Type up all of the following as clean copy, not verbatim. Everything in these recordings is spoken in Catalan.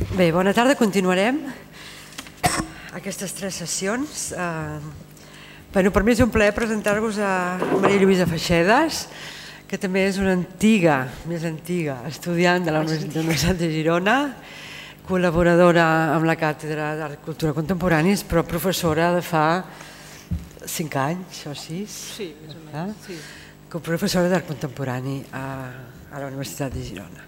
Bé, bona tarda, continuarem aquestes 3 sessions. Per mi és un plaer presentar-vos a Maria Lluïsa Feixedas, que també és una més antiga estudiant de la Universitat de Girona, col·laboradora amb la Càtedra d'Art i Cultura Contemporanis, però professora de fa 5 anys o 6. Sí, més o menys. Professora d'Art Contemporani a la Universitat de Girona.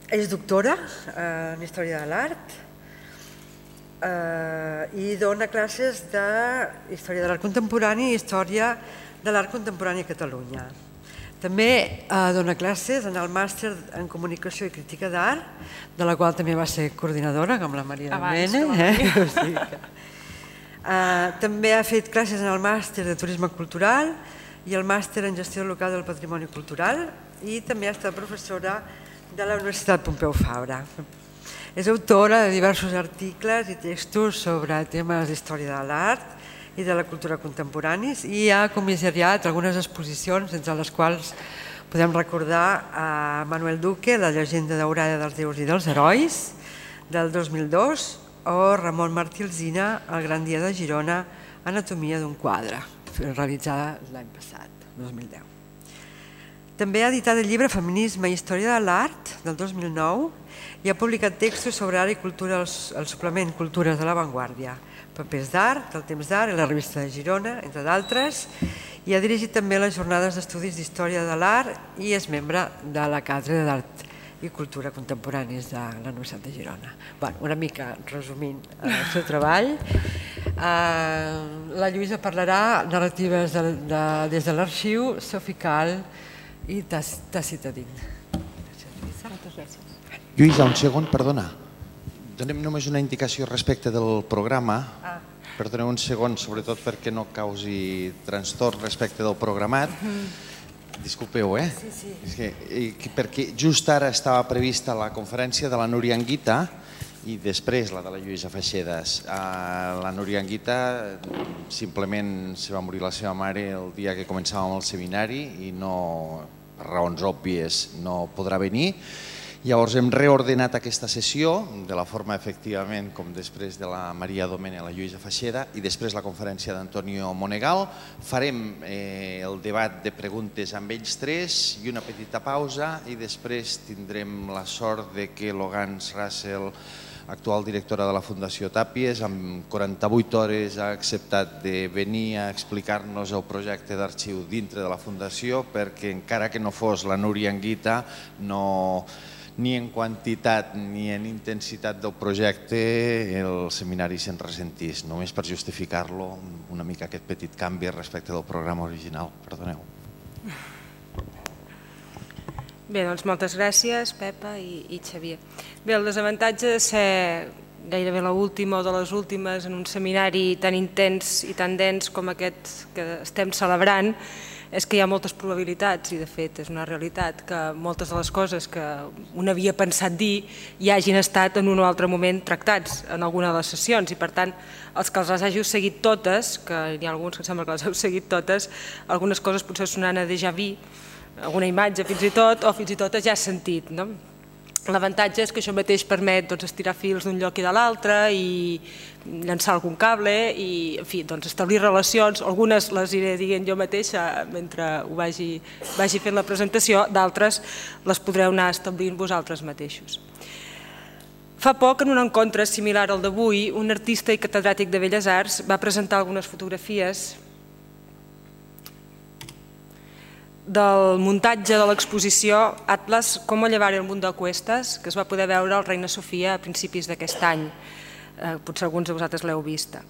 És doctora en Història de l'Art i dona classes d'Història de l'Art Contemporani i Història de l'Art Contemporani a Catalunya. També dona classes en el màster en Comunicació i Crítica d'Art, de la qual també va ser coordinadora, com la Maria Domene. També ha fet classes en el màster de Turisme Cultural i el màster en Gestió Local del Patrimoni Cultural i també ha estat professora de la Universitat Pompeu Fabra. És autora de diversos articles i textos sobre temes d'història de l'art i de la cultura contemporanis i ha comissariat algunes exposicions, entre les quals podem recordar a Manuel Duque, La llegenda daurada dels déus i dels herois, del 2002, o Ramon Martí Alsina, El gran dia de Girona, Anatomia d'un quadre, realitzada l'any passat, 2010. També ha editat el llibre Feminisme i Història de l'Art, del 2009, i ha publicat textos sobre art i cultura al suplement Cultures de l'Avantguàrdia, Papers d'Art, del Temps d'Art i la Revista de Girona, entre d'altres, i ha dirigit també les jornades d'estudis d'Història de l'Art i és membre de la Càtedra d'Art i Cultura Contemporanis de la Universitat de Girona. Una mica resumint el seu treball. La Lluïsa parlarà narratives des de l'arxiu, Sofical i Tacitadin. Lluïsa, un segon, perdona. Donem només una indicació respecte del programa. Perdoneu un segon, sobretot perquè no causi trastorn respecte del programat. Disculpeu, perquè just ara estava prevista la conferència de la Núria Anguita i després la de la Lluïsa Feixedas. La Núria Anguita simplement se va morir la seva mare el dia que començàvem el seminari i per raons òbvies no podrà venir. Llavors hem reordenat aquesta sessió de la forma efectivament com després de la Maria Domene a la Lluïsa Feixeda i després la conferència d'Antonio Monegal. Farem el debat de preguntes amb ells 3 i una petita pausa i després tindrem la sort de que Logans Russell, actual directora de la Fundació Tàpies, amb 48 hores ha acceptat de venir a explicar-nos el projecte d'arxiu dintre de la Fundació perquè encara que no fos la Núria Anguita, ni en quantitat ni en intensitat del projecte el seminari se'n ressentís, només per justificar-lo una mica aquest petit canvi respecte del programa original. Perdoneu. Bé, doncs moltes gràcies, Pepa i Xavier. Bé, el desavantatge de ser gairebé l'última o de les últimes en un seminari tan intens i tan dens com aquest que estem celebrant és que hi ha moltes probabilitats i de fet és una realitat que moltes de les coses que un havia pensat dir ja hagin estat en un o altre moment tractats en alguna de les sessions i per tant els que les hàgiu seguit totes, que hi ha alguns que sembla que les heu seguit totes, algunes coses potser sonaran a déjà vu, alguna imatge fins i tot o fins i tot ja sentit. L'avantatge és que això mateix permet estirar fils d'un lloc i de l'altre i llançar algun cable i establir relacions. Algunes les iré dient jo mateixa mentre ho vagi fent la presentació, d'altres les podreu anar establint vosaltres mateixos. Fa poc, en un encontre similar al d'avui, un artista i catedràtic de Belles Arts va presentar algunes fotografies del muntatge de l'exposició Atlas, Cómo llevar el mundo a cuestas, que es va poder veure al Reina Sofia a principis d'aquest any. Potser alguns de vosaltres l'heu vista.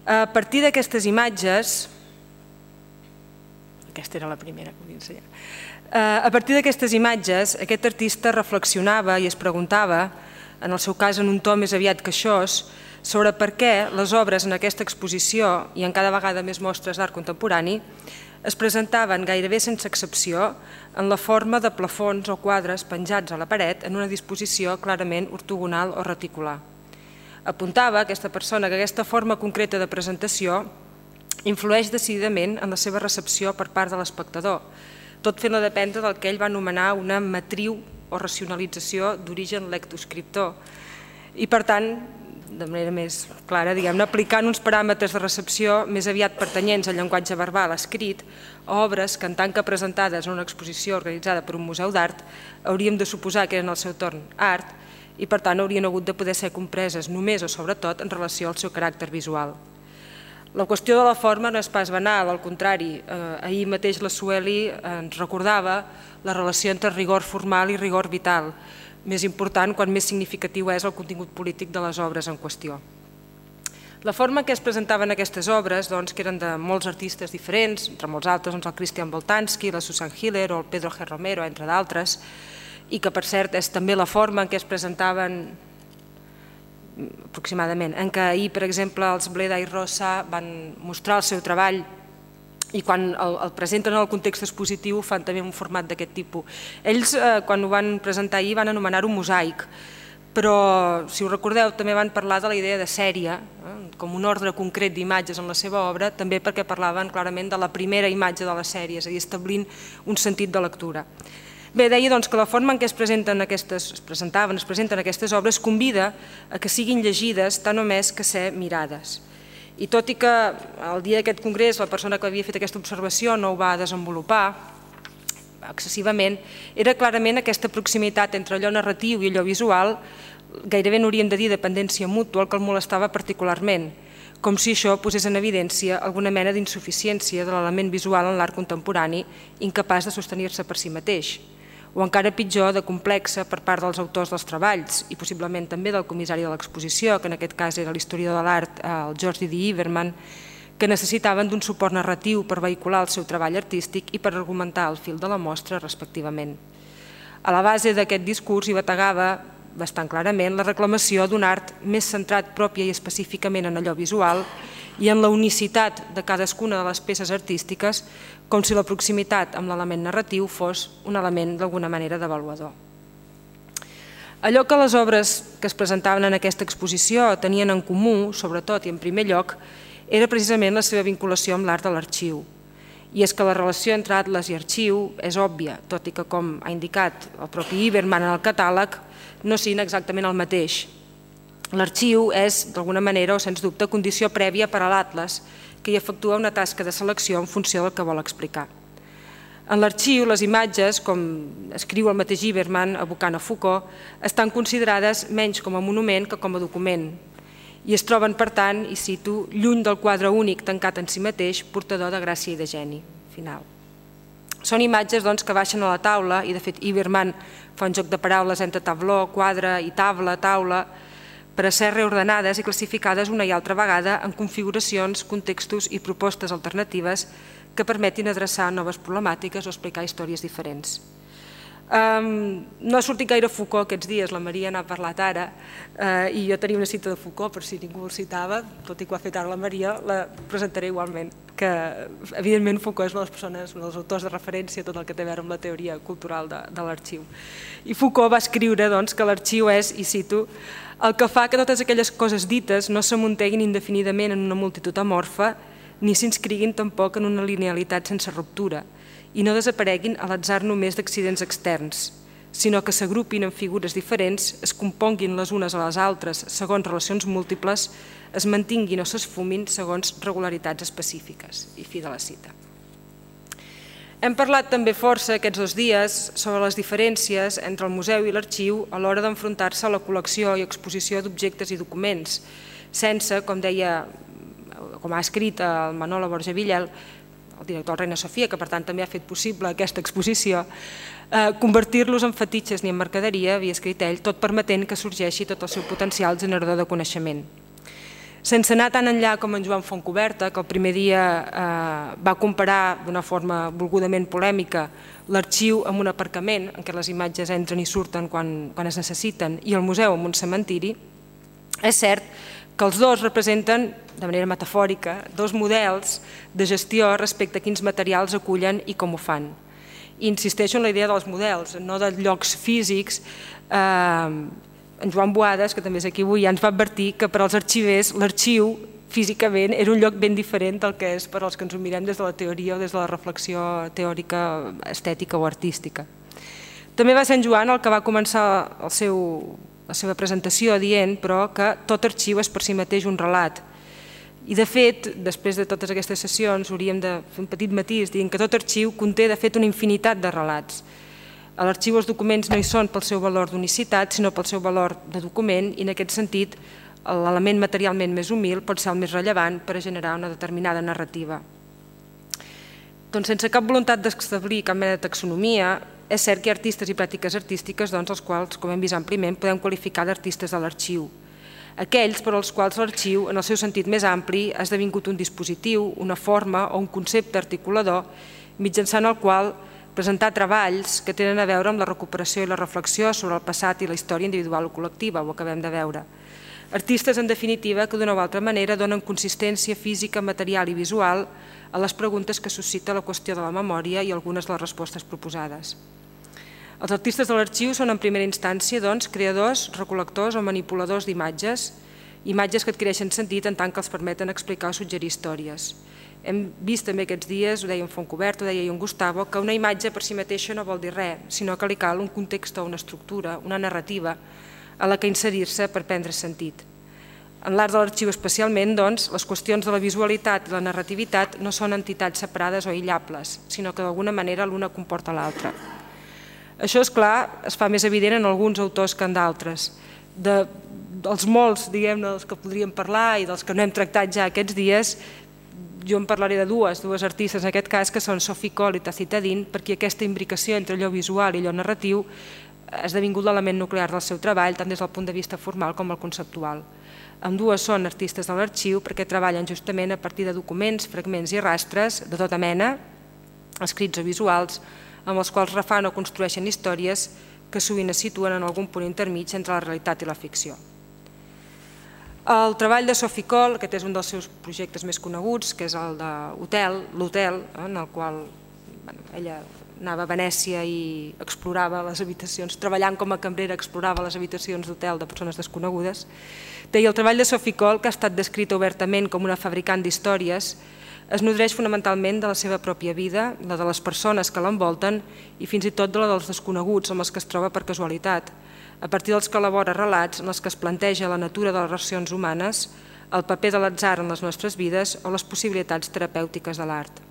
A partir d'aquestes imatges, aquesta era la primera que volia ensenyar, a partir d'aquestes imatges aquest artista reflexionava i es preguntava, en el seu cas en un to més aviat queixós, sobre per què les obres en aquesta exposició i en cada vegada més mostres d'art contemporani es presentaven gairebé sense excepció en la forma de plafons o quadres penjats a la paret en una disposició clarament ortogonal o reticular. Apuntava aquesta persona que aquesta forma concreta de presentació influeix decididament en la seva recepció per part de l'espectador, tot fent-la dependre del que ell va anomenar una matriu o racionalització d'origen lectoscriptor. I per tant, de manera més clara, aplicant uns paràmetres de recepció més aviat pertanyents al llenguatge verbal escrit a obres que, en tant que presentades en una exposició organitzada per un museu d'art, hauríem de suposar que eren al seu torn art i, per tant, haurien hagut de poder ser compreses només o sobretot en relació al seu caràcter visual. La qüestió de la forma no és pas banal, al contrari. Ahir mateix la Sueli ens recordava la relació entre rigor formal i rigor vital, més important quan més significatiu és el contingut polític de les obres en qüestió. La forma en què es presentaven aquestes obres, que eren de molts artistes diferents, entre molts altres el Christian Boltanski, la Susan Hiller o el Pedro G. Romero, entre d'altres, i que per cert és també la forma en què es presentaven aproximadament, en què ahir, per exemple, els Bleda i Rosa van mostrar el seu treball i quan el presenten en el context expositiu fan també un format d'aquest tipus. Ells, quan ho van presentar ahir, van anomenar-ho mosaic, però, si ho recordeu, també van parlar de la idea de sèrie, com un ordre concret d'imatges en la seva obra, també perquè parlaven clarament de la primera imatge de la sèrie, és a dir, establint un sentit de lectura. Bé, deia que la forma en què es presenten aquestes obres convida a que siguin llegides tant o més que ser mirades. I tot i que el dia d'aquest congrés la persona que havia fet aquesta observació no ho va desenvolupar excessivament, era clarament aquesta proximitat entre allò narratiu i allò visual, gairebé n'hauríem de dir dependència mútua, el que el molestava particularment, com si això posés en evidència alguna mena d'insuficiència de l'element visual en l'art contemporani, incapaç de sostenir-se per si mateix, o encara pitjor, de complexa per part dels autors dels treballs i possiblement també del comissari de l'exposició, que en aquest cas era l'historiador de l'art, el George D. Iverman, que necessitaven d'un suport narratiu per vehicular el seu treball artístic i per argumentar el fil de la mostra respectivament. A la base d'aquest discurs hi bategava bastant clarament la reclamació d'un art més centrat pròpia i específicament en allò visual i en la unicitat de cadascuna de les peces artístiques, com si la proximitat amb l'element narratiu fos un element d'alguna manera d'avaluador. Allò que les obres que es presentaven en aquesta exposició tenien en comú, sobretot i en primer lloc, era precisament la seva vinculació amb l'art de l'arxiu. I és que la relació entre atles i arxiu és òbvia, tot i que, com ha indicat el propi Iverman en el catàleg, no siguin exactament el mateix. L'arxiu és, d'alguna manera o sens dubte, condició prèvia per a l'atles, que hi efectua una tasca de selecció en funció del que vol explicar. En l'arxiu, les imatges, com escriu el mateix Iverman, evocant a Foucault, estan considerades menys com a monument que com a document, i es troben, per tant, i cito, lluny del quadre únic tancat en si mateix, portador de gràcia i de geni. Final. Són imatges que baixen a la taula, i de fet Iverman fa un joc de paraules entre tabló, quadre i taula, per a ser reordenades i classificades una i altra vegada en configuracions, contextos i propostes alternatives que permetin adreçar noves problemàtiques o explicar històries diferents. No ha sortit gaire Foucault aquests dies, la Maria n'ha parlat ara, i jo tenia una cita de Foucault, per si ningú el citava, tot i que ho ha fet ara la Maria, la presentaré igualment, que evidentment Foucault és una de les persones, un dels autors de referència, tot el que té a veure amb la teoria cultural de l'arxiu. I Foucault va escriure que l'arxiu és, i cito, el que fa que totes aquelles coses dites no s'amunteguin indefinidament en una multitud amorfa ni s'inscriguin tampoc en una linealitat sense ruptura i no desapareguin a l'atzar només d'accidents externs, sinó que s'agrupin en figures diferents, es componguin les unes a les altres segons relacions múltiples, es mantinguin o s'esfumin segons regularitats específiques. I fi de la cita. Hem parlat també força aquests 2 dies sobre les diferències entre el museu i l'arxiu a l'hora d'enfrontar-se a la col·lecció i exposició d'objectes i documents, sense, com deia, com ha escrit el Manolo Borja Villel, el director del Reina Sofia, que per tant també ha fet possible aquesta exposició, convertir-los en fetitxes ni en mercaderia, havia escrit ell, tot permetent que sorgeixi tot el seu potencial generador de coneixement. Sense anar tan enllà com en Joan Fontcoberta, que el primer dia va comparar d'una forma volgudament polèmica l'arxiu amb un aparcament en què les imatges entren i surten quan es necessiten i el museu amb un cementiri, és cert que els dos representen, de manera metafòrica, 2 models de gestió respecte a quins materials acullen i com ho fan. I insisteixo en la idea dels models, no de llocs físics. En Joan Boades, que també és aquí avui, ja ens va advertir que per als arxivers l'arxiu físicament era un lloc ben diferent del que és per als que ens ho mirem des de la teoria o des de la reflexió teòrica, estètica o artística. També va ser en Joan el que va començar la seva presentació dient, però, que tot arxiu és per si mateix un relat. I de fet, després de totes aquestes sessions, hauríem de fer un petit matís dient que tot arxiu conté de fet una infinitat de relats. A l'arxiu els documents no hi són pel seu valor d'unicitat, sinó pel seu valor de document, i en aquest sentit l'element materialment més humil pot ser el més rellevant per a generar una determinada narrativa. Doncs sense cap voluntat d'establir cap mena de taxonomia, és cert que hi ha artistes i pràctiques artístiques els quals, com hem vist àmpliament, podem qualificar d'artistes de l'arxiu. Aquells per als quals l'arxiu, en el seu sentit més ampli, ha esdevingut un dispositiu, una forma o un concepte articulador mitjançant el qual presentar treballs que tenen a veure amb la recuperació i la reflexió sobre el passat i la història individual o col·lectiva, ho acabem de veure. Artistes, en definitiva, que d'una o altra manera donen consistència física, material i visual a les preguntes que suscita la qüestió de la memòria i algunes de les respostes proposades. Els artistes de l'arxiu són en primera instància creadors, recol·lectors o manipuladors d'imatges, imatges que adquireixen sentit en tant que els permeten explicar o suggerir històries. Hem vist també aquests dies, ho deia en Fontcobert, ho deia en Gustavo, que una imatge per si mateixa no vol dir res, sinó que li cal un context o una estructura, una narrativa, a la que inserir-se per prendre sentit. En l'art de l'arxiu especialment, doncs, les qüestions de la visualitat i la narrativitat no són entitats separades o aïllables, sinó que d'alguna manera l'una comporta l'altra. Això, és clar, es fa més evident en alguns autors que en d'altres. Dels molts, diguem-ne, dels que podríem parlar i dels que no hem tractat ja aquests dies, jo en parlaré de dues artistes en aquest cas, que són Sophie Coll i Tacita Dean, perquè aquesta imbricació entre allò visual i allò narratiu ha esdevingut l'element nuclear del seu treball, tant des del punt de vista formal com el conceptual. Ambdues són artistes de l'arxiu perquè treballen justament a partir de documents, fragments i rastres de tota mena, escrits o visuals, amb els quals refan o construeixen històries que sovint es situen en algun punt intermig entre la realitat i la ficció. El treball de Sophie Coll, aquest és un dels seus projectes més coneguts, que és el de l'Hotel, en el qual ella anava a Venècia i explorava les habitacions, treballant com a cambrera, explorava les habitacions d'hotel de persones desconegudes. I el treball de Sophie Coll, que ha estat descrit obertament com una fabricant d'històries, es nodreix fonamentalment de la seva pròpia vida, la de les persones que l'envolten i fins i tot de la dels desconeguts amb els que es troba per casualitat, a partir dels que elabora relats en els que es planteja la natura de les relacions humanes, el paper de l'atzar en les nostres vides o les possibilitats terapèutiques de l'art.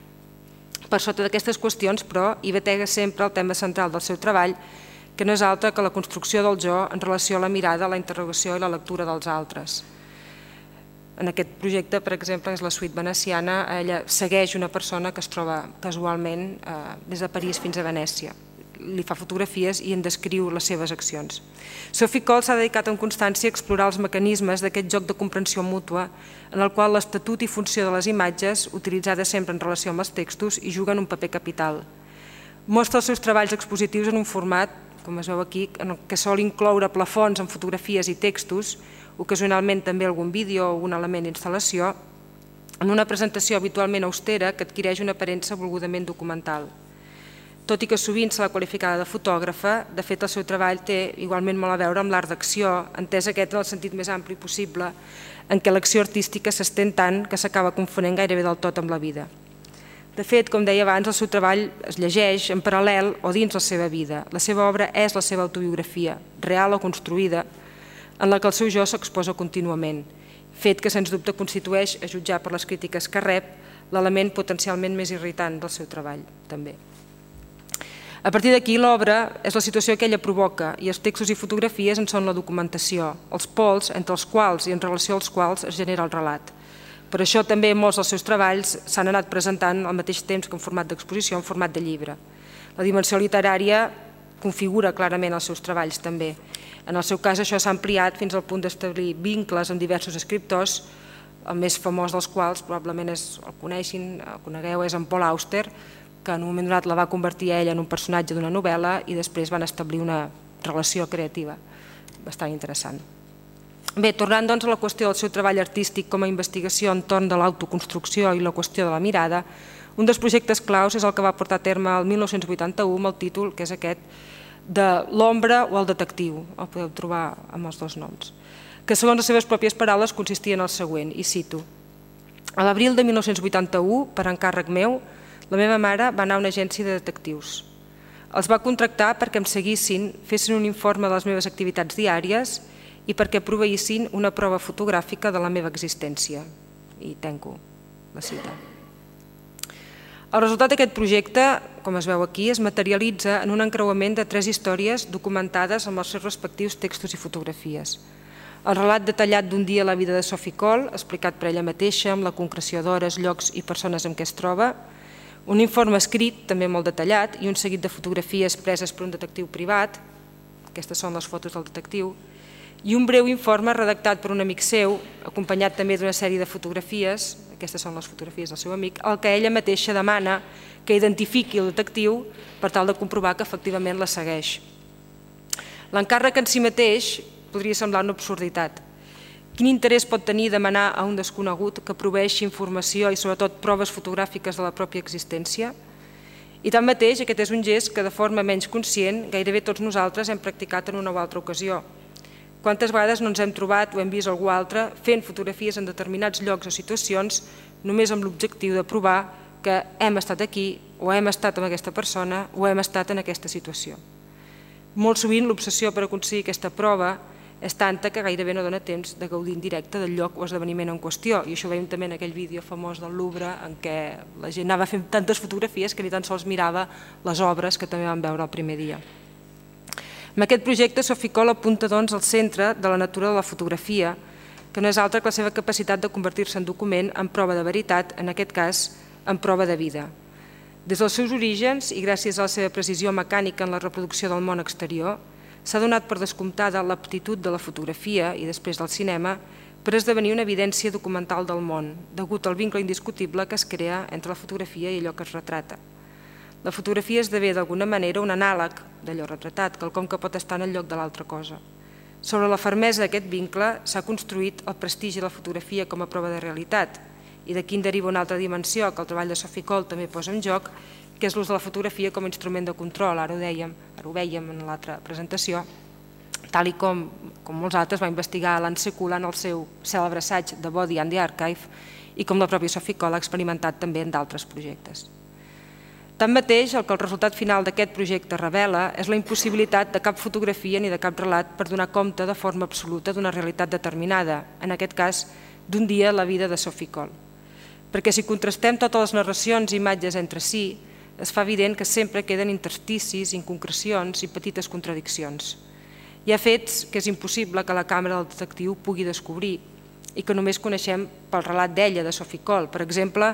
Per sota d'aquestes qüestions, però, hi batega sempre el tema central del seu treball, que no és altre que la construcció del jo en relació a la mirada, la interrogació i la lectura dels altres. En aquest projecte, per exemple, és la suite veneciana, ella segueix una persona que es troba casualment des de París fins a Venècia. Li fa fotografies i en descriu les seves accions. Sophie Coll s'ha dedicat amb constància a explorar els mecanismes d'aquest joc de comprensió mútua en el qual l'estatut i funció de les imatges, utilitzades sempre en relació amb els textos, hi juguen un paper capital. Mostra els seus treballs expositius en un format, com es veu aquí, en el que sol incloure plafons amb fotografies i textos, ocasionalment també algun vídeo o un element d'instal·lació, en una presentació habitualment austera que adquireix una aparença volgudament documental. Tot i que sovint se l'ha qualificada de fotògrafa, de fet el seu treball té igualment molt a veure amb l'art d'acció, entès aquest en el sentit més ampli possible, en què l'acció artística s'estén tant que s'acaba confonent gairebé del tot amb la vida. De fet, com deia abans, el seu treball es llegeix en paral·lel o dins la seva vida. La seva obra és la seva autobiografia, real o construïda, en la que el seu jo s'exposa contínuament, fet que sens dubte constitueix, a jutjar per les crítiques que rep, l'element potencialment més irritant del seu treball, també. A partir d'aquí, l'obra és la situació que ella provoca i els textos i fotografies en són la documentació, els pols entre els quals i en relació als quals es genera el relat. Per això també molts dels seus treballs s'han anat presentant al mateix temps que en format d'exposició, en format de llibre. La dimensió literària configura clarament els seus treballs també. En el seu cas això s'ha ampliat fins al punt d'establir vincles amb diversos escriptors, el més famós dels quals probablement el conegueu, és en Paul Auster, que en un moment donat la va convertir a ella en un personatge d'una novel·la i després van establir una relació creativa bastant interessant. Bé, tornant doncs a la qüestió del seu treball artístic com a investigació entorn de l'autoconstrucció i la qüestió de la mirada, un dels projectes claus és el que va portar a terme el 1981 amb el títol, que és aquest, de L'ombra o el detectiu, el podeu trobar amb els dos noms, que segons les seves pròpies paraules consistia en el següent, i cito: a l'abril de 1981, per encàrrec meu, la meva mare va anar a una agència de detectius. Els va contractar perquè em seguissin, fessin un informe de les meves activitats diàries i perquè proveïssin una prova fotogràfica de la meva existència. I tanco la cita. El resultat d'aquest projecte, com es veu aquí, es materialitza en un encreuament de 3 històries documentades amb els seus respectius textos i fotografies. El relat detallat d'un dia a la vida de Sophie Cole, explicat per ella mateixa, amb la concreció d'hores, llocs i persones amb què es troba, un informe escrit, també molt detallat, i un seguit de fotografies preses per un detectiu privat, aquestes són les fotos del detectiu, i un breu informe redactat per un amic seu, acompanyat també d'una sèrie de fotografies, aquestes són les fotografies del seu amic, el que ella mateixa demana que identifiqui el detectiu per tal de comprovar que efectivament la segueix. L'encàrrec en si mateix podria semblar una absurditat. Quin interès pot tenir demanar a un desconegut que proveeixi informació i sobretot proves fotogràfiques de la pròpia existència? I tanmateix, aquest és un gest que de forma menys conscient gairebé tots nosaltres hem practicat en una o altra ocasió. Quantes vegades no ens hem trobat o hem vist algú altre fent fotografies en determinats llocs o situacions només amb l'objectiu de provar que hem estat aquí o hem estat amb aquesta persona o hem estat en aquesta situació. Molt sovint l'obsessió per aconseguir aquesta prova és tanta que gairebé no dona temps de gaudir en directe del lloc o esdeveniment en qüestió. I això ho veiem també en aquell vídeo famós del Louvre en què la gent anava fent tantes fotografies que ni tan sols mirava les obres que també vam veure el primer dia. Amb aquest projecte, Sophie Cole apunta doncs al centre de la natura de la fotografia, que no és altra que la seva capacitat de convertir-se en document, en prova de veritat, en aquest cas, en prova de vida. Des dels seus orígens i gràcies a la seva precisió mecànica en la reproducció del món exterior, s'ha donat per descomptada l'aptitud de la fotografia i després del cinema per esdevenir una evidència documental del món, degut al vincle indiscutible que es crea entre la fotografia i allò que es retrata. La fotografia esdevé d'alguna manera un anàleg d'allò retratat, quelcom que pot estar en el lloc de l'altra cosa. Sobre la fermesa d'aquest vincle s'ha construït el prestigi de la fotografia com a prova de realitat i d'aquí en deriva una altra dimensió que el treball de Sophie Cole també posa en joc, que és l'ús de la fotografia com a instrument de control, ara ho vèiem en l'altra presentació, tal i com molts altres va investigar Alan Sekula en el seu cèlebre assaig The Body and the Archive i com la pròpia Sophie Cole ha experimentat també en d'altres projectes. Tanmateix, el que el resultat final d'aquest projecte revela és la impossibilitat de cap fotografia ni de cap relat per donar compte de forma absoluta d'una realitat determinada, en aquest cas d'un dia a la vida de Sophie Cole. Perquè si contrastem totes les narracions i imatges entre si, es fa evident que sempre queden intersticis, inconcrecions i petites contradiccions. Hi ha fets que és impossible que la càmera del detectiu pugui descobrir i que només coneixem pel relat d'ella, de Sophie Cole, per exemple,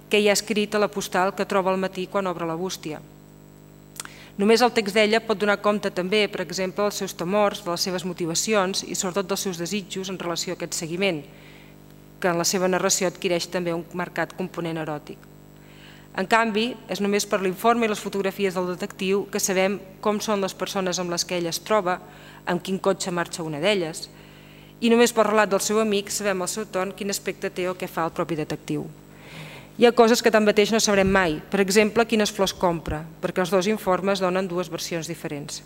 que hi ha escrit a la postal que troba al matí quan obre la bústia. Només el text d'ella pot donar compte també, per exemple, dels seus temors, de les seves motivacions i sobretot dels seus desitjos en relació a aquest seguiment, que en la seva narració adquireix també un marcat component eròtic. En canvi, és només per l'informe i les fotografies del detectiu que sabem com són les persones amb les que ella es troba, amb quin cotxe marxa una d'elles, i només pel relat del seu amic sabem al seu torn quin aspecte té o què fa el propi detectiu. Hi ha coses que tanmateix no sabrem mai, per exemple, quines flors compra, perquè els dos informes donen dues versions diferents.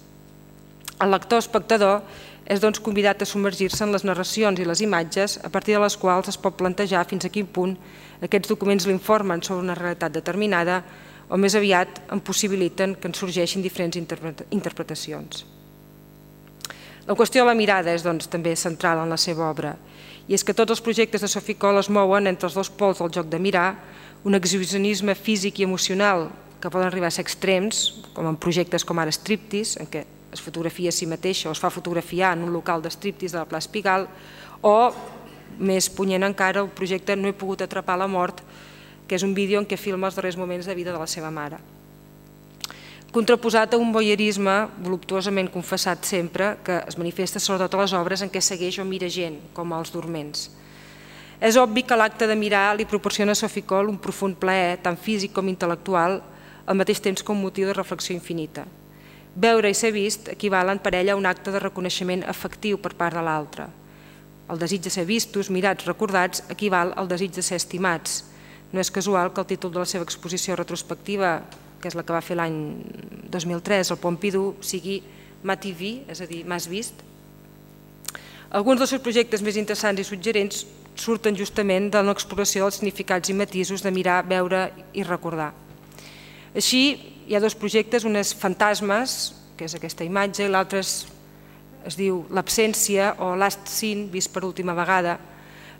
El lector espectador és doncs convidat a submergir-se en les narracions i les imatges a partir de les quals es pot plantejar fins a quin punt aquests documents l'informen sobre una realitat determinada o més aviat en possibiliten que en sorgeixin diferents interpretacions. La qüestió de la mirada és doncs també central en la seva obra i és que tots els projectes de Sophie Cole es mouen entre els dos pols del joc de mirar, un exhibicionisme físic i emocional que poden arribar a ser extrems, com en projectes com ara Striptease, en què es fotografia a si mateixa o es fa fotografiar en un local de striptease de la plaça Pigalle, o, més punyent encara, el projecte No he pogut atrapar la mort, que és un vídeo en què filma els darrers moments de vida de la seva mare. Contraposat a un voyeurisme voluptuosament confessat sempre, que es manifesta sobretot a les obres en què segueix o mira gent, com els dorments. És obvi que l'acte de mirar li proporciona a Sophie Cole un profund plaer, tant físic com intel·lectual, al mateix temps com motiu de reflexió infinita. Veure i ser vist equivalen per ella a un acte de reconeixement afectiu per part de l'altre. El desig de ser vistos, mirats, recordats, equival al desig de ser estimats. No és casual que el títol de la seva exposició retrospectiva, que és la que va fer l'any 2003 al Pompidou, sigui M'as-tu vu, és a dir, m'has vist. Alguns dels seus projectes més interessants i suggerents surten justament de l'exploració dels significats i matisos de mirar, veure i recordar. Així, hi ha dos projectes, un és Fantasmes, que és aquesta imatge, i l'altre es diu L'absència o Last Scene, vist per última vegada,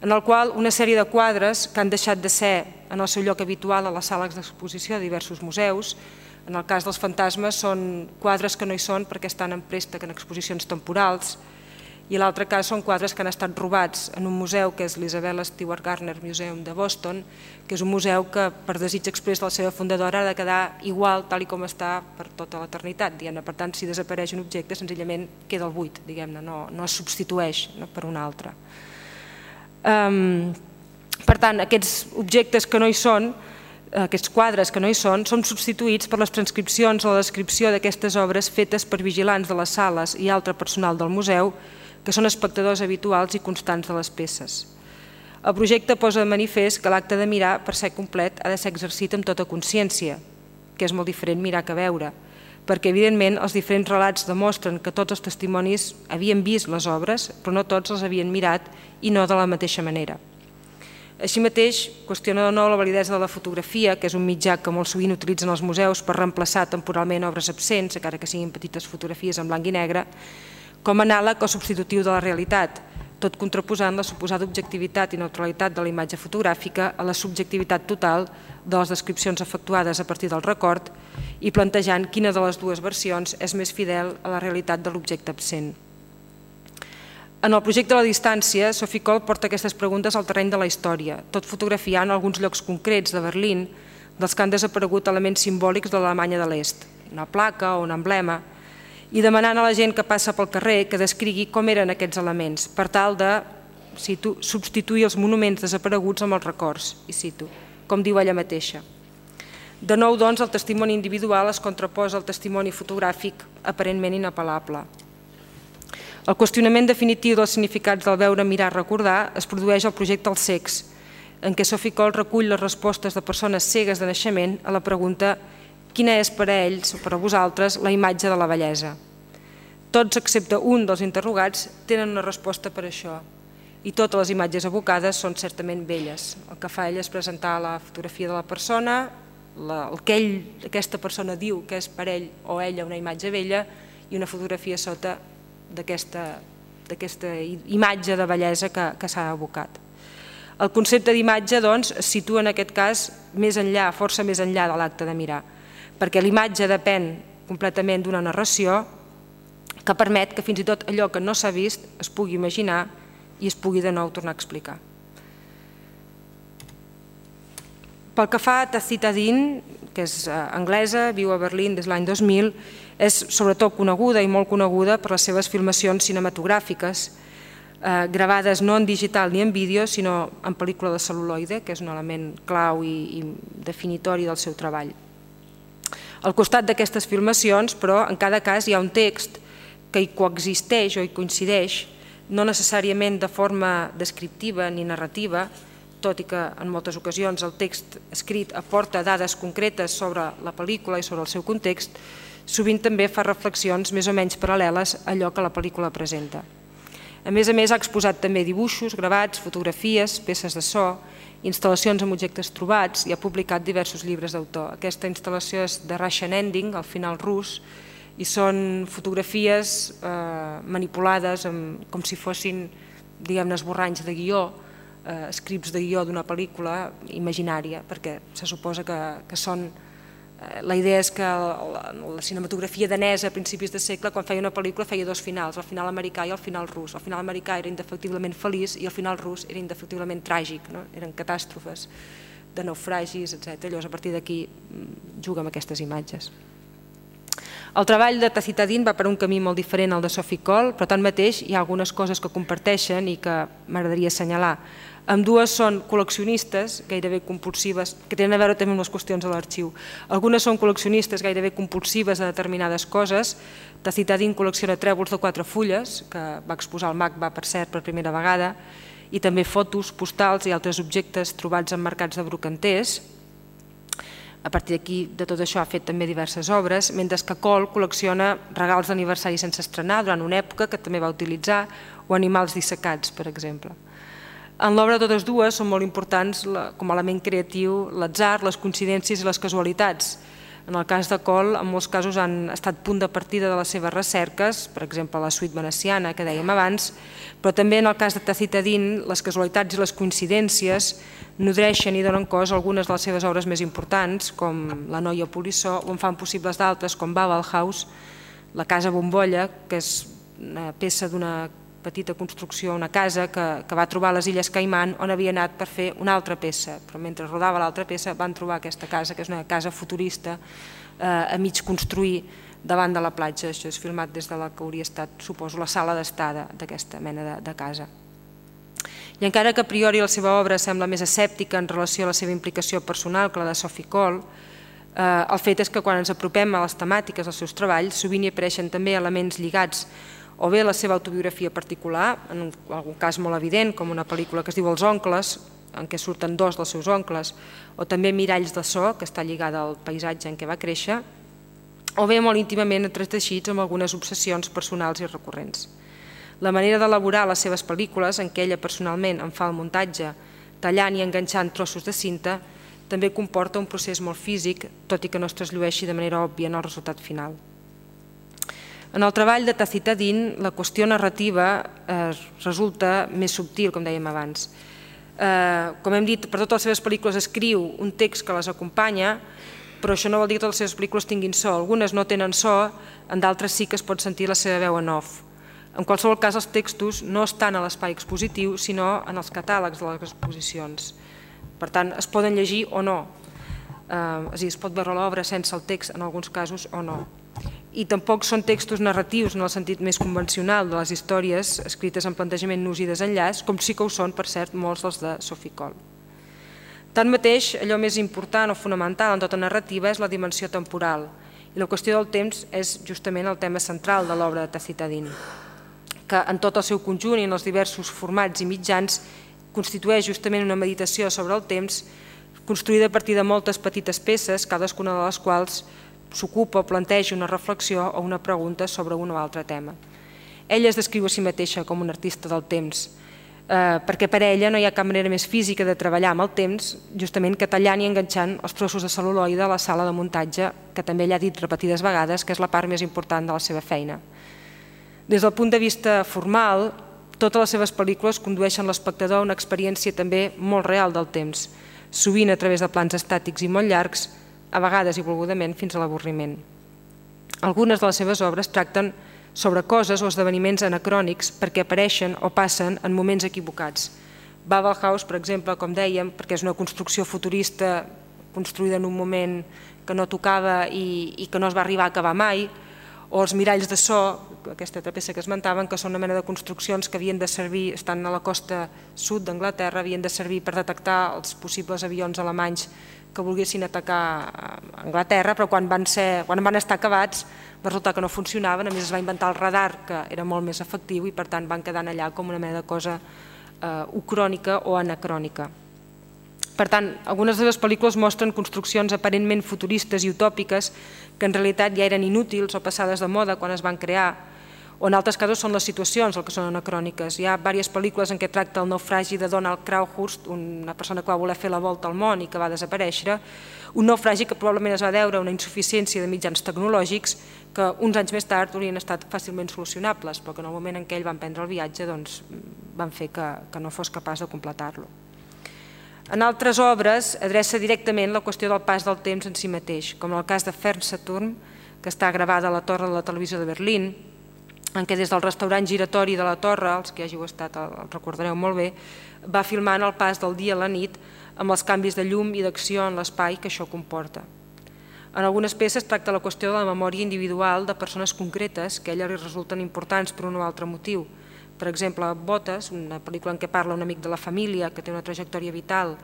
en el qual una sèrie de quadres que han deixat de ser en el seu lloc habitual a les sales d'exposició de diversos museus. En el cas dels Fantasmes són quadres que no hi són perquè estan en préstec en exposicions temporals, i en l'altre cas són quadres que han estat robats en un museu que és l'Isabella Stewart Gardner Museum de Boston, que és un museu que per desig exprés de la seva fundadora ha de quedar igual tal com està per tota l'eternitat. Per tant, si desapareix un objecte, senzillament queda el buit, no es substitueix per un altre. Per tant, aquests objectes que no hi són, aquests quadres que no hi són substituïts per les transcripcions o la descripció d'aquestes obres fetes per vigilants de les sales i altre personal del museu, que són espectadors habituals i constants de les peces. El projecte posa de manifest que l'acte de mirar, per ser complet, ha de ser exercit amb tota consciència, que és molt diferent mirar que veure, perquè evidentment els diferents relats demostren que tots els testimonis havien vist les obres, però no tots les havien mirat i no de la mateixa manera. Així mateix, qüestiona de nou la validesa de la fotografia, que és un mitjà que molt sovint utilitzen els museus per reemplaçar temporalment obres absents, encara que siguin petites fotografies en blanc i negre, com a anàleg o substitutiu de la realitat, tot contraposant la suposada objectivitat i neutralitat de la imatge fotogràfica a la subjectivitat total de les descripcions efectuades a partir del record i plantejant quina de les dues versions és més fidel a la realitat de l'objecte absent. En el projecte La distància, Sophie Kohl porta aquestes preguntes al terreny de la història, tot fotografiant alguns llocs concrets de Berlín dels que han desaparegut elements simbòlics de l'Alemanya de l'Est, una placa o un emblema, i demanant a la gent que passa pel carrer que descrigui com eren aquests elements, per tal de, cito, substituir els monuments desapareguts amb els records, i cito, com diu ella mateixa. De nou, doncs, el testimoni individual es contraposa al testimoni fotogràfic aparentment inapel·lable. El qüestionament definitiu dels significats del veure, mirar, recordar es produeix al projecte Els cecs, en què Sophie Kohl recull les respostes de persones cegues de naixement a la pregunta quina és per a ells o per a vosaltres la imatge de la bellesa. Tots, excepte un dels interrogats, tenen una resposta per això, i totes les imatges evocades són certament belles. El que fa ell és presentar la fotografia de la persona, el que aquesta persona diu que és per ell o ella una imatge bella i una fotografia sota d'aquesta imatge de bellesa que s'ha evocat. El concepte d'imatge, doncs, es situa en aquest cas més enllà, força més enllà de l'acte de mirar, perquè l'imatge depèn completament d'una narració que permet que fins i tot allò que no s'ha vist es pugui imaginar i es pugui de nou tornar a explicar. Pel que fa a Tacita Dean, que és anglesa, viu a Berlín des de l'any 2000, és sobretot coneguda i molt coneguda per les seves filmacions cinematogràfiques, gravades no en digital ni en vídeo, sinó en pel·lícula de cel·luloide, que és un element clau i definitori del seu treball. Al costat d'aquestes filmacions, però, en cada cas hi ha un text que hi coexisteix o hi coincideix, no necessàriament de forma descriptiva ni narrativa, tot i que en moltes ocasions el text escrit aporta dades concretes sobre la pel·lícula i sobre el seu context, sovint també fa reflexions més o menys paral·leles a allò que la pel·lícula presenta. A més, ha exposat també dibuixos, gravats, fotografies, peces de so, instal·lacions amb objectes trobats i ha publicat diversos llibres d'autor. Aquesta instal·lació és The Russian Ending, el final rus, i són fotografies manipulades com si fossin, diguem-ne, esborranys de guió, scripts de guió d'una pel·lícula imaginària, perquè se suposa que són... La idea és que la cinematografia danesa a principis de segle, quan feia una pel·lícula, feia dos finals, el final americà i el final rus. El final americà era indefectiblement feliç i el final rus era indefectiblement tràgic, eren catàstrofes de naufragis, etc. Llavors, a partir d'aquí, juga amb aquestes imatges. El treball de Tacita Dean va per un camí molt diferent al de Sophie Kohl, però tanmateix hi ha algunes coses que comparteixen i que m'agradaria assenyalar. Ambdues són col·leccionistes gairebé compulsives, que tenen a veure també amb les qüestions de l'arxiu. Algunes són col·leccionistes gairebé compulsives de determinades coses. Tacita Dean col·lecciona trèvols de 4 fulles, que va exposar al MACBA, per cert, per primera vegada, i també fotos, postals i altres objectes trobats en mercats de brocanters. A partir d'aquí, de tot això, ha fet també diverses obres, mentre que Kohl col·lecciona regals d'aniversari sense estrenar durant una època que també va utilitzar, o animals dissecats, per exemple. En l'obra de totes dues són molt importants com a element creatiu l'atzar, les coincidències i les casualitats. En el cas de Cole, en molts casos han estat punt de partida de les seves recerques, per exemple la suite veneciana que dèiem abans, però també en el cas de Tacitadin les casualitats i les coincidències nodreixen i donen cos a algunes de les seves obres més importants, com La noia polissó, o en fan possibles d'altres, com Babel House, La casa bombolla, que és una peça d'una petita construcció, una casa que va trobar a les Illes Caimán, on havia anat per fer una altra peça, però mentre rodava l'altra peça van trobar aquesta casa, que és una casa futurista a mig construir davant de la platja. Això és filmat des de la que hauria estat, suposo, la sala d'estada d'aquesta mena de casa. I encara que a priori la seva obra sembla més escèptica en relació a la seva implicació personal que la de Sophie Cole, el fet és que quan ens apropem a les temàtiques dels seus treballs sovint hi apareixen també elements lligats o bé la seva autobiografia particular, en algun cas molt evident, com una pel·lícula que es diu Els oncles, en què surten dos dels seus oncles, o també Miralls de so, que està lligada al paisatge en què va créixer, o bé molt íntimament entreteixits amb algunes obsessions personals i recurrents. La manera d'elaborar les seves pel·lícules, en què ella personalment en fa el muntatge, tallant i enganxant trossos de cinta, també comporta un procés molt físic, tot i que no es trasllueixi de manera òbvia en el resultat final. En el treball de Tacitadin, la qüestió narrativa resulta més subtil, com dèiem abans. Com hem dit, per totes les seves pel·lícules escriu un text que les acompanya, però això no vol dir que totes les seves pel·lícules tinguin so. Algunes no tenen so, en d'altres sí que es pot sentir la seva veu en off. En qualsevol cas, els textos no estan a l'espai expositiu, sinó en els catàlegs de les exposicions. Per tant, es poden llegir o no. És a dir, es pot veure l'obra sense el text en alguns casos o no. I tampoc són textos narratius en el sentit més convencional de les històries escrites en plantejament nus i desenllaç, com sí que ho són, per cert, molts dels de Sophie Cole. Tanmateix, allò més important o fonamental en tota narrativa és la dimensió temporal, i la qüestió del temps és justament el tema central de l'obra de Tacitadin, que en tot el seu conjunt i en els diversos formats i mitjans constitueix justament una meditació sobre el temps construïda a partir de moltes petites peces, cadascuna de les quals s'ocupa o planteja una reflexió o una pregunta sobre un o altre tema. Ella es descriu a si mateixa com una artista del temps, perquè per ella no hi ha cap manera més física de treballar amb el temps, justament que tallant i enganxant els trossos de cel·luloide a la sala de muntatge, que també ella ha dit repetides vegades que és la part més important de la seva feina. Des del punt de vista formal, totes les seves pel·lícules condueixen l'espectador a una experiència també molt real del temps, sovint a través de plans estàtics i molt llargs, a vegades i volgudament fins a l'avorriment. Algunes de les seves obres tracten sobre coses o esdeveniments anacrònics perquè apareixen o passen en moments equivocats. Babel House, per exemple, com dèiem, perquè és una construcció futurista construïda en un moment que no tocava i que no es va arribar a acabar mai, o els miralls de so, aquesta altra peça que esmentaven, que són una mena de construccions que havien de servir, estan a la costa sud d'Anglaterra, havien de servir per detectar els possibles avions alemanys que volguessin atacar Anglaterra, però quan van estar acabats va resultar que no funcionaven, a més es va inventar el radar, que era molt més efectiu, i per tant van quedar allà com una mena de cosa ucrònica o anacrònica. Per tant, algunes de les pel·lícules mostren construccions aparentment futuristes i utòpiques que en realitat ja eren inútils o passades de moda quan es van crear, o en altres casos són les situacions el que són anacròniques. Hi ha diverses pel·lícules en què tracta el naufragi de Donald Crowhurst, una persona que va voler fer la volta al món i que va desaparèixer, un naufragi que probablement es va deure a una insuficiència de mitjans tecnològics que uns anys més tard haurien estat fàcilment solucionables, però que en el moment en què ell va emprendre el viatge van fer que no fos capaç de completar-lo. En altres obres adreça directament la qüestió del pas del temps en si mateix, com en el cas de Fernsehturm, que està gravada a la torre de la televisió de Berlín, en què des del restaurant giratori de la torre, els que hi hàgiu estat el recordareu molt bé, va filmant el pas del dia a la nit amb els canvis de llum i d'acció en l'espai que això comporta. En algunes peces tracta la qüestió de la memòria individual de persones concretes que a ella li resulten importants per un o altre motiu. Per exemple, Botes, una pel·lícula en què parla un amic de la família que té una trajectòria vital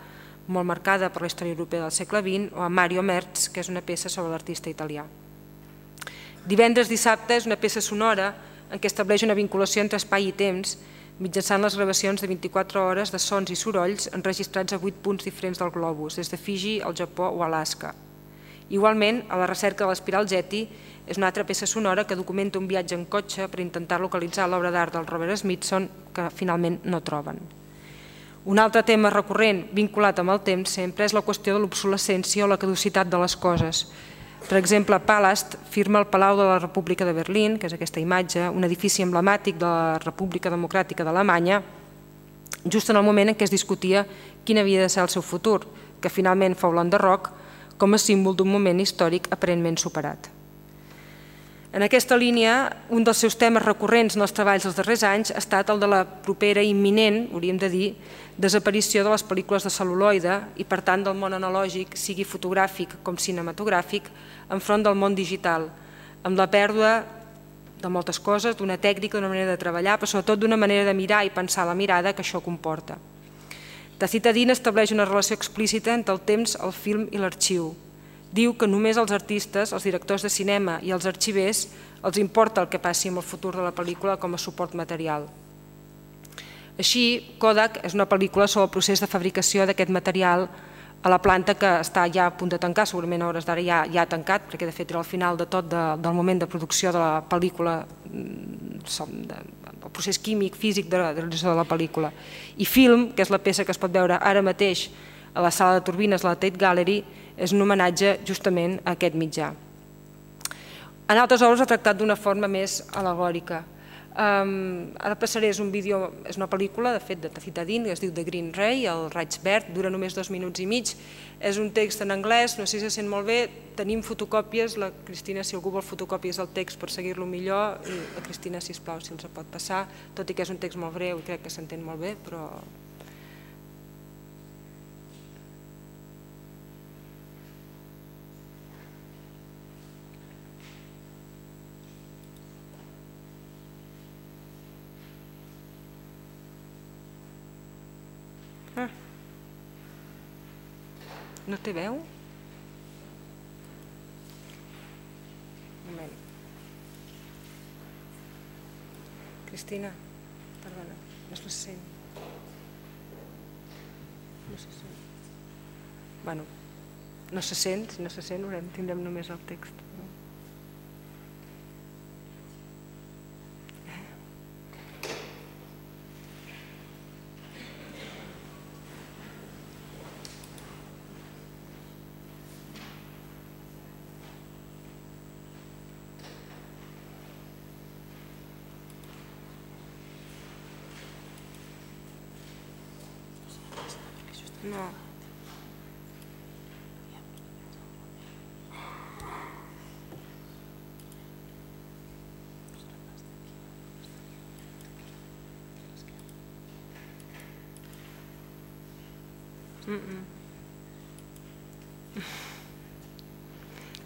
molt marcada per la història europea del segle XX, o a Mario Merz, que és una peça sobre l'artista italià. Divendres dissabte és una peça sonora en què estableix una vinculació entre espai i temps mitjançant les gravacions de 24 hores de sons i sorolls enregistrats a 8 punts diferents del globus, des de Fiji, el Japó o Alaska. Igualment, a la recerca de l'espiral Getty és una altra peça sonora que documenta un viatge en cotxe per intentar localitzar l'obra d'art del Robert Smithson que finalment no troben. Un altre tema recurrent vinculat amb el temps sempre és la qüestió de l'obsolescència o la caducitat de les coses. Per exemple, Palast firma el Palau de la República de Berlín, que és aquesta imatge, un edifici emblemàtic de la República Democràtica d'Alemanya, just en el moment en què es discutia quin havia de ser el seu futur, que finalment fou l'enderroc com a símbol d'un moment històric aparentment superat. En aquesta línia, un dels seus temes recurrents en els treballs dels darrers anys ha estat el de la propera i imminent, hauríem de dir, desaparició de les pel·lícules de cel·luloide i, per tant, del món analògic, sigui fotogràfic com cinematogràfic, enfront del món digital, amb la pèrdua de moltes coses, d'una tècnica, d'una manera de treballar, però sobretot d'una manera de mirar i pensar la mirada que això comporta. Tacita Dina estableix una relació explícita entre el temps, el film i l'arxiu. Diu que només als artistes, als directors de cinema i als arxivers els importa el que passi amb el futur de la pel·lícula com a suport material. Així, Kodak és una pel·lícula sobre el procés de fabricació d'aquest material a la planta que està ja a punt de tancar, segurament a hores d'ara ja ha tancat, perquè de fet era el final de tot del moment de producció de la pel·lícula, el procés químic, físic de realització de la pel·lícula. I Film, que és la peça que es pot veure ara mateix a la sala de turbines de la Tate Gallery, és un homenatge justament a aquest mitjà. En altres obres ha tractat d'una forma més al·legòrica. Ara passaré, és un vídeo, és una pel·lícula, de fet, de Tacita Dina, que es diu The Green Ray, el raig verd, dura només 2 minuts i mig, és un text en anglès, no sé si se sent molt bé, tenim fotocòpies, la Cristina, si algú vol fotocòpies del text per seguir-lo millor, i la Cristina, sisplau, si els pot passar, tot i que és un text molt breu i crec que s'entén molt bé, però... No té veu? Un moment. Cristina, perdona, no se sent. No se sent. Bueno, no se sent, si no se sent tindrem només el text. No.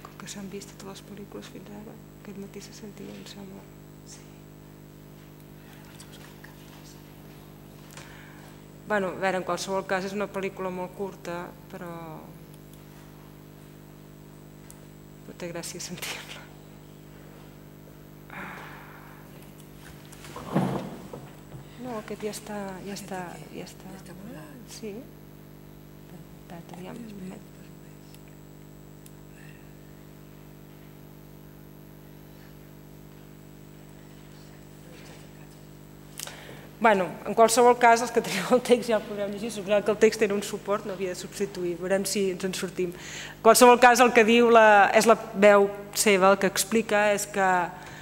Com que s'han vist totes les pel·lícules fins ara, aquest matí se sentia, em sembla. Bueno, a veure, en qualsevol cas és una pel·lícula molt curta, però té gràcia sentir-la. No, aquest ja està. Sí. Aviam. Bueno, en qualsevol cas, els que teniu el text ja el podrem llegir, suposant que el text era un suport, no havia de substituir, veurem si ens en sortim. En qualsevol cas, el que diu és la veu seva, el que explica és que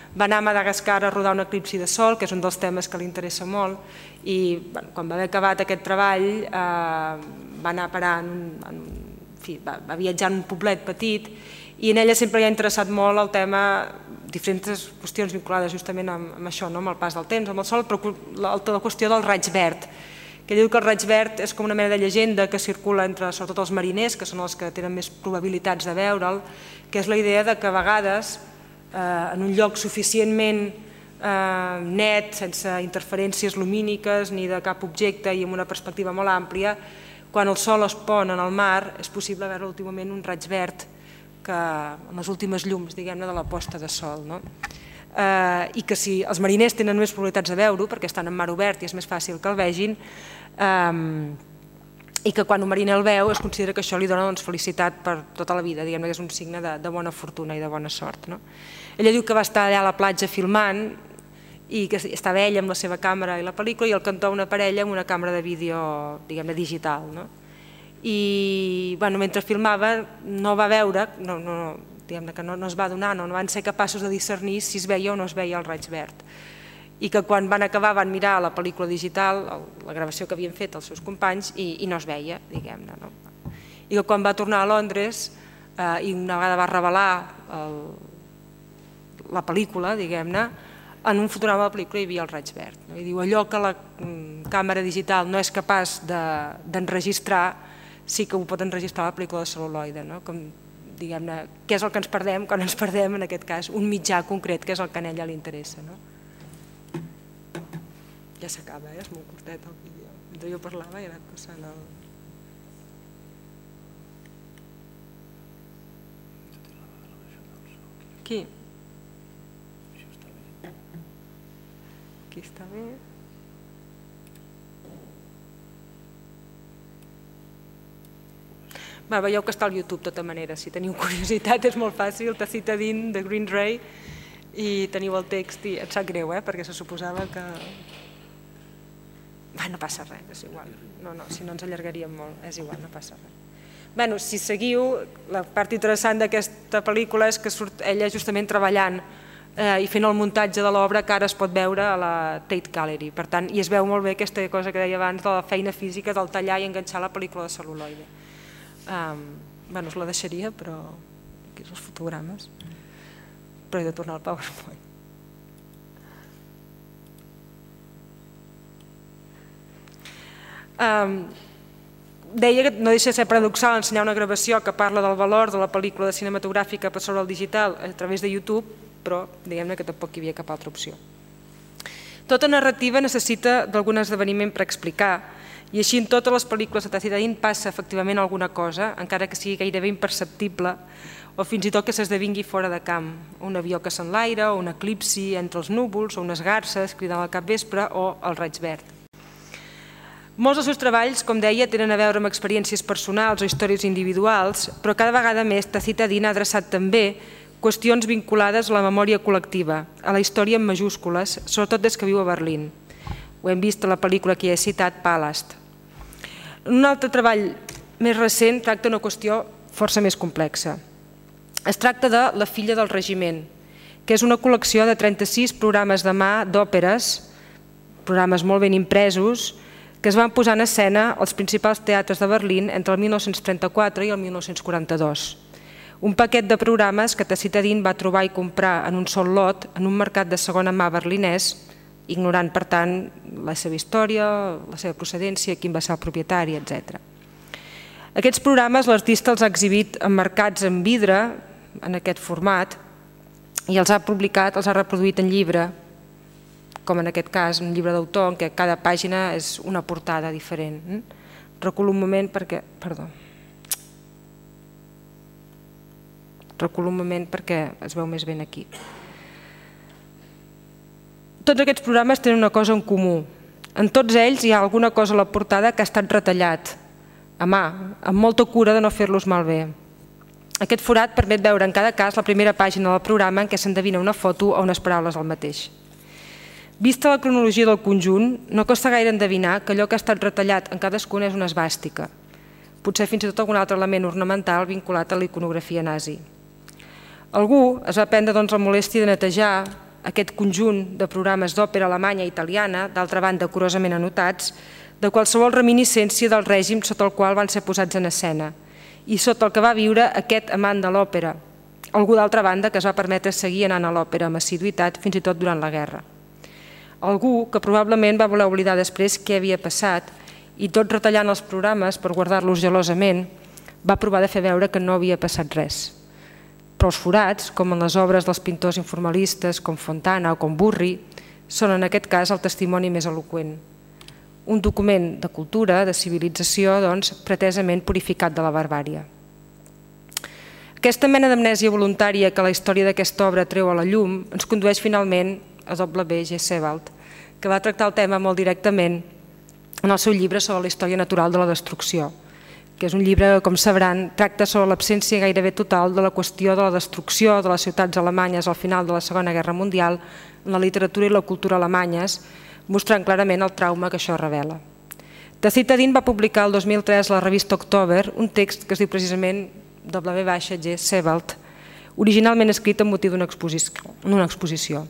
va anar a Madagascar a rodar un eclipsi de sol, que és un dels temes que li interessa molt, i quan va haver acabat aquest treball va anar a parar, va viatjar en un poblet petit, i en ella sempre li ha interessat molt el tema, diferents qüestions vinculades justament amb això, amb el pas del temps, amb el sol, però la qüestió del raig verd, que diu que el raig verd és com una mena de llegenda que circula entre sobretot els mariners, que són els que tenen més probabilitats de veure'l, que és la idea que a vegades en un lloc suficientment net, sense interferències lumíniques ni de cap objecte i amb una perspectiva molt àmplia, quan el sol es pon en el mar és possible veure últimament un raig verd amb les últimes llums, diguem-ne, de la posta de sol. I que si els mariners tenen més probabilitats de veure-ho, perquè estan en mar obert i és més fàcil que el vegin, i que quan un mariner el veu es considera que això li dona felicitat per tota la vida, diguem-ne que és un signe de bona fortuna i de bona sort. Ella diu que va estar allà a la platja filmant i que estava ella amb la seva càmera i la pel·lícula i el cantó una parella amb una càmera de vídeo, diguem-ne, digital. I mentre filmava no va veure, diguem-ne que no es va donar, no van ser capaços de discernir si es veia o no es veia el raig verd. I que quan van acabar van mirar la pel·lícula digital, la gravació que havien fet els seus companys, i no es veia, diguem-ne. I que quan va tornar a Londres i una vegada va revelar la pel·lícula, diguem-ne, en un fotograma de la pel·lícula hi havia el raig verd. I diu, allò que la càmera digital no és capaç d'enregistrar, sí que ho pot enregistrar la pel·lícula de cel·luloide. Diguem-ne, què és el que ens perdem quan ens perdem, en aquest cas, un mitjà concret, que és el que a ella li interessa. Ja s'acaba, és molt curtet el vídeo. Mentre jo parlava he anat passant el... Aquí. Aquí està bé. Veieu que està al YouTube, de tota manera. Si teniu curiositat és molt fàcil. Tacitadine, de Green Ray, i teniu el text i et sap greu, perquè se suposava que... No passa res, és igual. No, si no ens allargaríem molt, és igual, no passa res. Si seguiu, la part interessant d'aquesta pel·lícula és que surt ella justament treballant i fent el muntatge de l'obra que ara es pot veure a la Tate Gallery. Per tant, i es veu molt bé aquesta cosa que deia abans de la feina física del tallar i enganxar la pel·lícula de cel·luloide. Us la deixaria, però aquí són els fotogrames. Però he de tornar al PowerPoint. Deia que no deixa de ser paradoxal ensenyar una gravació que parla del valor de la pel·lícula cinematogràfica per sobre el digital a través de YouTube, però diguem-ne que tampoc hi havia cap altra opció. Tota narrativa necessita d'algun esdeveniment per explicar, i així en totes les pel·lícules de Tacitadine passa efectivament alguna cosa, encara que sigui gairebé imperceptible, o fins i tot que s'esdevingui fora de camp. Un avió que s'enlaira, o un eclipsi entre els núvols, o unes garces cridant al capvespre, o el raig verd. Molts dels seus treballs, com deia, tenen a veure amb experiències personals o històries individuals, però cada vegada més Tacitadine ha adreçat també qüestions vinculades a la memòria col·lectiva, a la història en majúscules, sobretot des que viu a Berlín. Ho hem vist a la pel·lícula que he citat, Palast. Un altre treball més recent tracta una qüestió força més complexa. Es tracta de La filla del regiment, que és una col·lecció de 36 programes de mà d'òperes, programes molt ben impresos, que es van posar en escena als principals teatres de Berlín entre el 1934 i el 1942. Un paquet de programes que Tacitadine va trobar i comprar en un sol lot en un mercat de segona mà berlinès, ignorant, per tant, la seva història, la seva procedència, quin va ser el propietari, etc. Aquests programes l'artista els ha exhibit emmarcats en vidre, en aquest format, i els ha publicat, els ha reproduït en llibre, com en aquest cas, un llibre d'autor en què cada pàgina és una portada diferent. Reculo un moment perquè... Perdó. Reculo un moment perquè es veu més ben aquí. Tots aquests programes tenen una cosa en comú. En tots ells hi ha alguna cosa a la portada que ha estat retallat, a mà, amb molta cura de no fer-los malbé. Aquest forat permet veure en cada cas la primera pàgina del programa en què s'endevina una foto o unes paraules al mateix. Vista la cronologia del conjunt, no costa gaire endevinar que allò que ha estat retallat en cadascun és una esvàstica, potser fins i tot algun altre element ornamental vinculat a la iconografia nazi. Algú es va prendre la molèstia de netejar aquest conjunt de programes d'òpera alemanya i italiana, d'altra banda curosament anotats, de qualsevol reminiscència del règim sota el qual van ser posats en escena i sota el que va viure aquest amant de l'òpera, algú d'altra banda que es va permetre seguir anant a l'òpera amb assiduïtat fins i tot durant la guerra. Algú que probablement va voler oblidar després què havia passat i tot retallant els programes per guardar-los gelosament va provar de fer veure que no havia passat res. Però els forats, com en les obres dels pintors informalistes com Fontana o com Burri, són en aquest cas el testimoni més eloqüent. Un document de cultura, de civilització, doncs, pretesament purificat de la barbària. Aquesta mena d'amnèsia voluntària que la història d'aquesta obra treu a la llum ens condueix finalment a W.G. Sebald, que va tractar el tema molt directament en el seu llibre sobre la història natural de la destrucció, que és un llibre que, com sabran, tracta sobre l'absència gairebé total de la qüestió de la destrucció de les ciutats alemanyes al final de la Segona Guerra Mundial en la literatura i la cultura alemanyes, mostrant clarament el trauma que això revela. Tacitadine va publicar el 2003 a la revista October un text que es diu precisament W.G. Sebald, originalment escrit amb motiu d'una exposició.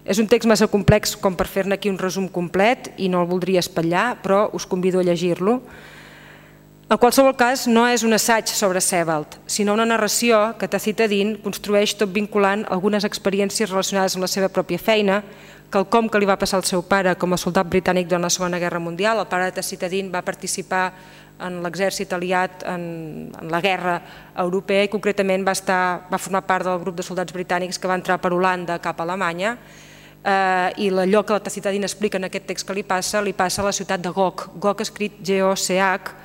És un text massa complex com per fer-ne aquí un resum complet i no el voldria espatllar, però us convido a llegir-lo. En qualsevol cas, no és un assaig sobre Sebald, sinó una narració que Tacita Dean construeix tot vinculant algunes experiències relacionades amb la seva pròpia feina, quelcom que li va passar al seu pare com a soldat britànic durant la Segona Guerra Mundial. El pare de Tacita Dean va participar en l'exèrcit aliat en la guerra europea i concretament va formar part del grup de soldats britànics que va entrar per Holanda cap a Alemanya, i allò que la Tacita Dean explica en aquest text que li passa a la ciutat de Gok. Gok escrit G-O-C-H,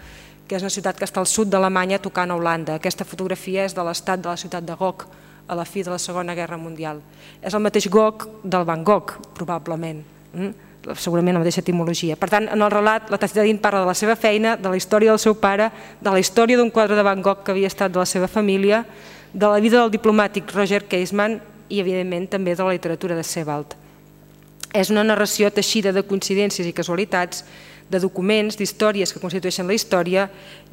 que és una ciutat que està al sud d'Alemanya tocant a Holanda. Aquesta fotografia és de l'estat de la ciutat de Gok a la fi de la Segona Guerra Mundial. És el mateix Gok del Van Gogh, probablement, segurament la mateixa etimologia. Per tant, en el relat, la Tacita Dean parla de la seva feina, de la història del seu pare, de la història d'un quadre de Van Gogh que havia estat de la seva família, de la vida del diplomàtic Roger Casement i, evidentment, també de la literatura de Sebald. És una narració teixida de coincidències i casualitats, de documents, d'històries que constitueixen la història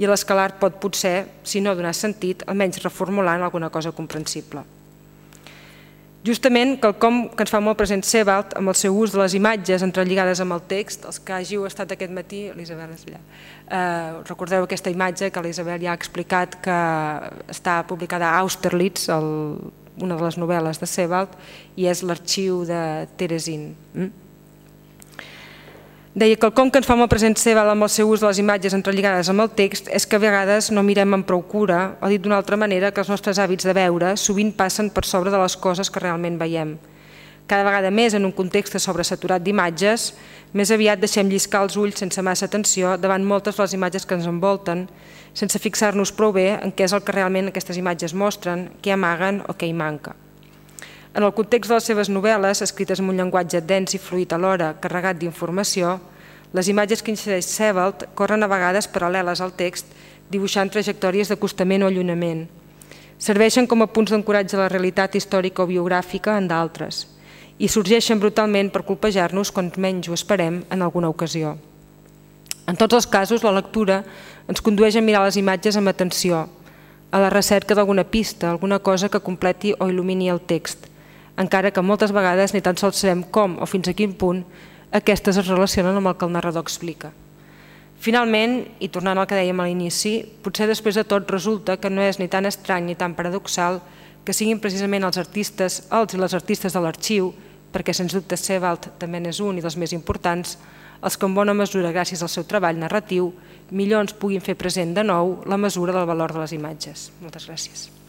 i a les que l'art pot potser, si no donar sentit, almenys reformulant alguna cosa comprensible. Justament, quelcom que ens fa molt present Sebald, amb el seu ús de les imatges entrelligades amb el text, els que hàgiu estat aquest matí, l'Isabel és allà, recordeu aquesta imatge que l'Isabel ja ha explicat que està publicada a Austerlitz, una de les novel·les de Sebald, i és l'arxiu de Terezin. Deia que el com que ens fa molt present Sebald amb el seu ús de les imatges entrelligades amb el text és que a vegades no mirem amb prou cura, o dit d'una altra manera, que els nostres hàbits de veure sovint passen per sobre de les coses que realment veiem. Cada vegada més en un context sobresaturat d'imatges, més aviat deixem lliscar els ulls sense massa atenció davant moltes de les imatges que ens envolten, sense fixar-nos prou bé en què és el que realment aquestes imatges mostren, què amaguen o què hi manca. En el context de les seves novel·les, escrites amb un llenguatge dens i fluid alhora, carregat d'informació, les imatges que insereix Sebald corren a vegades paral·leles al text, dibuixant trajectòries d'acostament o allunyament. Serveixen com a punts d'ancoratge a la realitat històrica o biogràfica en d'altres i sorgeixen brutalment per colpejar-nos quan menys ho esperem en alguna ocasió. En tots els casos, la lectura ens condueix a mirar les imatges amb atenció, a la recerca d'alguna pista, alguna cosa que completi o il·lumini el text, encara que moltes vegades ni tan sols sabem com o fins a quin punt aquestes es relacionen amb el que el narrador explica. Finalment, i tornant al que dèiem a l'inici, potser després de tot resulta que no és ni tan estrany ni tan paradoxal que siguin precisament els i les artistes de l'arxiu, perquè sens dubte Sebald també n'és un i dels més importants, els que en bona mesura, gràcies al seu treball narratiu, millor ens puguin fer present de nou la mesura del valor de les imatges. Moltes gràcies.